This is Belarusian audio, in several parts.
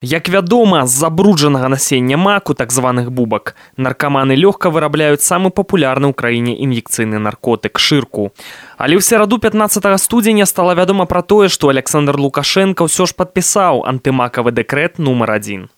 Як вядома, з забруджанага насення маку, так званых бубак, наркаманы лёгка вырабляюць самы папулярны ў краіне ін'екцыйны наркотык шырку. Але ў сераду 15 студзеня стала вядома пра тое, што Александр Лукашенко ўсё ж падпісаў антымакавы дэкрэт нумар 1.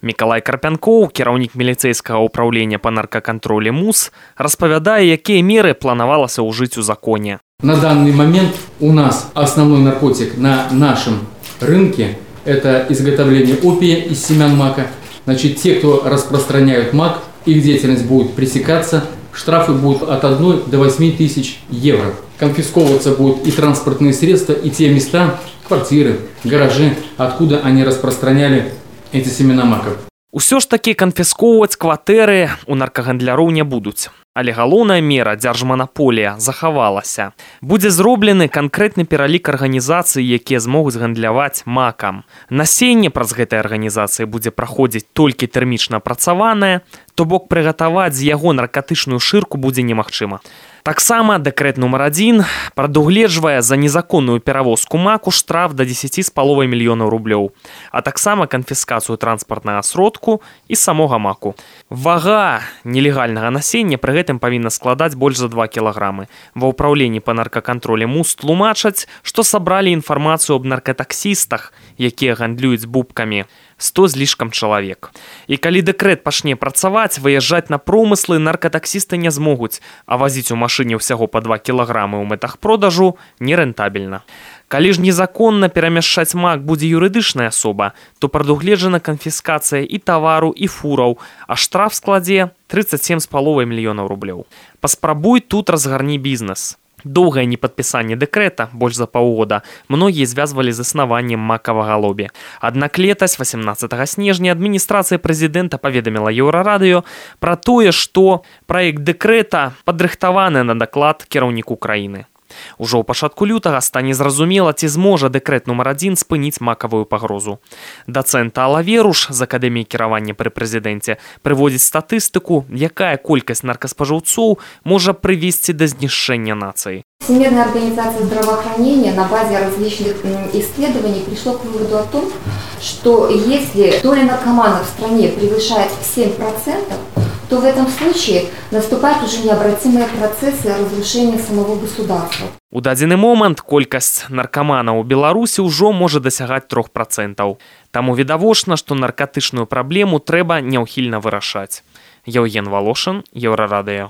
Мікалай Карпянкоў, кіраўнік міліцэйскага ўпраўлення па наркакантролі МУС, распавядае, якія меры планавалася ўжыць у законе. На данный момент у нас основной наркотик на нашем рынке – это изготовление опия из семян мака. Значит, те, кто распространяют мак, их деятельность будет пресекаться, штрафы будут от 1 до 8 тысяч евро. Конфисковываться будут и транспортные средства, и те места, квартиры, гаражи, откуда они распространяли эти семена маков. Усё ж такі канфіскоўваць кватэры у наркагандляроў не будуць. Але галоўная мера дзяржманаполія захавалася. Будзе зроблены канкрэтны пералік арганізацый, якія змогуць гандляваць макам. Насенне праз гэтай арганізацыі будзе праходзіць толькі тэрмічна апрацаванае, то бок прыгатаваць з яго наркатычную шырку будзе немагчыма. Таксама дэкрэт нумар 1 прадугледжвае за незаконную перавозку маку штраф да 10,5 мільёнаў рублёў, а таксама канфіскацыю транспартнага сродку і самога маку. Вага нелегальнага насення пры гэтым павінна складаць больш за 2 кілаграмы. Ва ўпраўленні па наркакантролі МУС тлумачаць, што сабралі інфармацыю аб наркатаксістах, якія гандлююць бубкамі, 100 з лішкам чалавек. І калі дэкрэт пачне працаваць, выязджаць на промыслы наркатаксісты не змогуць, а вазіць у машыне ўсяго па 2 кілаграмы ў мэтах продажу нерэнтабельна. Калі ж незаконна перамяшчаць мак будзе юрыдычная асоба, то прадугледжана канфіскацыя і тавару, і фураў, а штраф складзе 37,5 мільёнаў рублёў. Паспрабуй тут разгарні бізнес. Доўгае непадпісанне дэкрэта, больш за паўгода, многія звязвалі з існаваннем макавага лобі. Аднак летась, 18 снежня, адміністрацыя прэзідэнта паведаміла Еўрарадыё пра тое, што праект дэкрэта падрыхтаваны на даклад кіраўніку краіны. Ужо ў пачатку лютага стане зразумела, ці зможа дэкрэт нумар 1 спыніць макавую пагрозу. Дацэнт Алла Веруш з Акадэміі кіравання пры прэзідэнце прыводзіць статыстыку, якая колькасць наркаспажыўцоў можа прывесці да знішчэння нацыі. Всемирная организация здравоохранения на базе различных исследований пришла к выводу о том, что если доля наркоманов в стране превышает 7%, то в этом случае наступают уже необратимые процессы разрушения самого государства. У дадзены момант колькасць наркаманаў у Беларусі ўжо можа дасягаць 3%. Таму відавочна, што наркатычную праблему трэба няўхільна вырашаць. Еўген Волошин, Еўрарадыё.